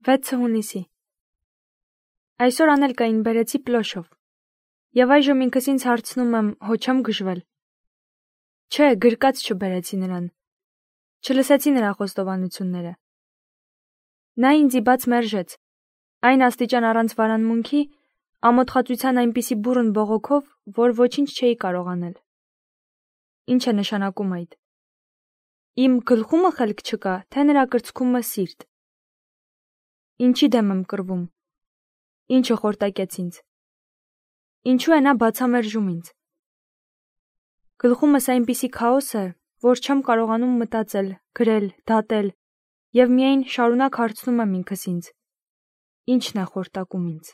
6 հունիսի։ Այսօր անել կային բերեցի պլոշով։ Եվ այժմ ինքս ինձ հարցնում եմ, հո չեմ գժվել։ Չէ, գրկած չբերեցի նրան։ Չլսեցի նրա խոստովանությունները։ Նա ինձ բաց մերժեց, այն աստիճան առանց վարանմունքի, ամոթխածության այնպիսի բուռն բողոքով, որ ոչինչ չէի կարող անել։ Ինչ է նշանակում այդ։ Իմ գլխումը խելք չկա, թե նրա կրծքումը սիրտ։ Ինչի դեմ եմ կռվում։ Ինչը խորտակեց ինձ։ Ինչու է նա բացամերժում ինձ։ Գլխումս այնպիսի քաոս է, որ չեմ կարողանում մտածել, գրել, դատել, եւ միայն շարունակ հարցնում եմ ինքս ինձ. ինչն է խորտակում ինձ։